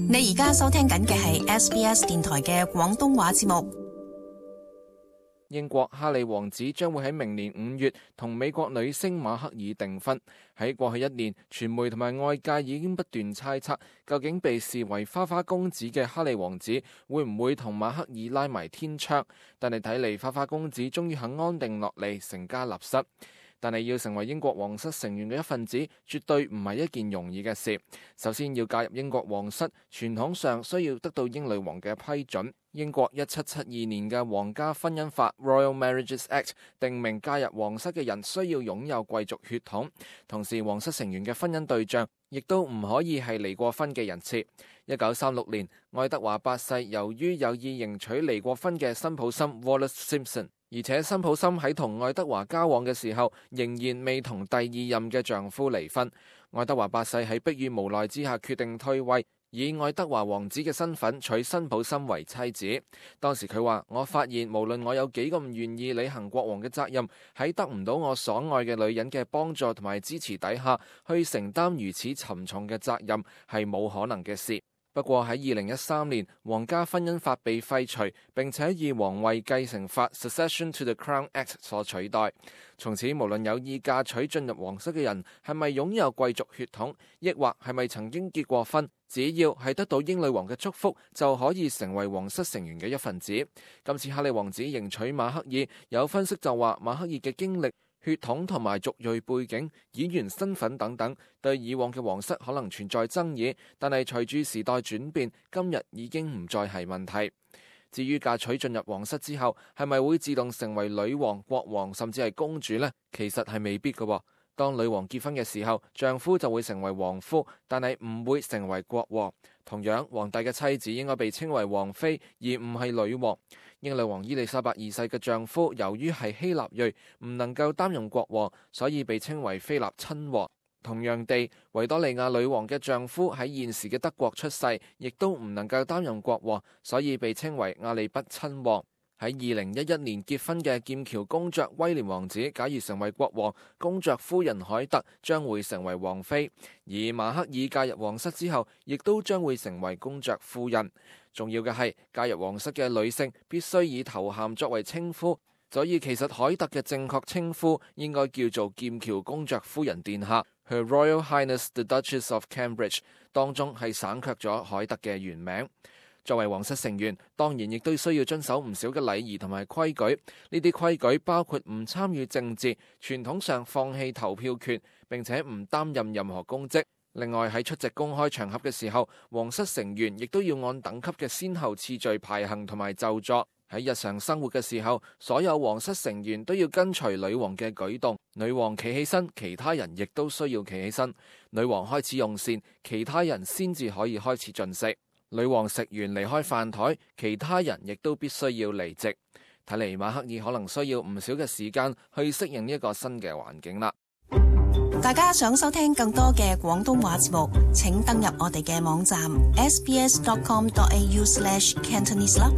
你而家收聽緊嘅係 SBS 電台嘅廣東話節目。英國哈利王子將會喺明年5月同美國女星馬克爾訂婚。喺過去1年，傳媒同埋外界已經不斷猜測，究竟被視為花花公子嘅哈利王子會唔會同馬克爾拉埋天窗？但係睇嚟，花花公子終於肯安定落嚟，成家立室。但係要成為英國皇室成員嘅一份子，絕對唔係一件容易嘅事。首先要加入英國皇室，傳統上需要得到英女王嘅批准。英國1772年嘅皇家婚姻法 Royal Marriages Act 定明加入皇室嘅人需要擁有貴族血統，同時皇室成員嘅婚姻對象亦都唔可以係離過婚嘅人設。1936年，愛德華8世由於有意迎娶離過婚嘅辛普森 Wallis Simpson， 而且辛普森喺同愛德華交往嘅時候仍然未同第2任嘅丈夫離婚。愛德華8世喺迫於無奈之下決定退位，以愛德華王子嘅身份娶辛普森為妻子。當時佢話：我發現無論我有幾咁唔願意履行國王嘅責任，喺得唔到我所愛嘅女人嘅幫助同埋支持底下，去承擔如此沉重嘅責任係冇可能嘅事。不過喺2013年，皇家婚姻法被廢除，並且以皇位繼承法 Succession to the Crown Act 所取代。從此，無論有意嫁娶進入皇室嘅人係咪擁有貴族血統，抑或係咪曾經結過婚，只要係得到英女王嘅祝福，就可以成為皇室成員嘅一份子。今次哈利王子迎娶馬克爾，有分析就話馬克爾嘅經歷、血統同埋族裔背景、演員身份等等，對以往嘅皇室可能存在爭議，但係隨住時代轉變，今日已經唔再係問題。至於嫁娶進入皇室之後，係咪會自動成為女王、國王甚至係公主呢？其實係未必嘅。當女王結婚嘅時候，丈夫就會成為王夫，但係唔會成為國王。同樣，皇帝嘅妻子應該被稱為王妃，而唔係女王。英女王伊麗莎白2世嘅丈夫由於係希臘裔，唔能夠擔任國王，所以被稱為菲臘親王。同樣地，維多利亞女王嘅丈夫喺現時嘅德國出世，亦都唔能夠擔任國王，所以被稱為亞利畢親王。喺2011年結婚嘅劍橋公爵威廉王子，假如成為國王，公爵夫人凱特將會成為王妃；而馬克爾嫁入皇室之後，亦都將會成為公爵夫人。重要嘅係，嫁入皇室嘅女性必須以頭銜作為稱呼，所以其實凱特嘅正確稱呼應該叫做劍橋公爵夫人殿下 Her Royal Highness the Duchess of Cambridge， 當中係省卻咗凱特嘅原名。作為皇室成員，當然亦都需要遵守唔少嘅禮儀同埋規矩。呢啲規矩包括唔參與政治，傳統上放棄投票權，並且唔擔任任何公職。另外喺出席公開場合嘅時候，皇室成員亦都要按等級嘅先後次序排行同埋就座。喺日常生活嘅時候，所有皇室成員都要跟隨女王嘅舉動。女王企起身，其他人亦都需要企起身。女王開始用膳，其他人先至可以開始進食。女王食完離開飯台，其他人亦都必須要離席。睇嚟馬克爾可能需要唔少嘅時間去適應呢一個新嘅環境啦。大家想收聽更多嘅廣東話節目，請登入我哋嘅網站 sbs.com.au/cantonese 啦。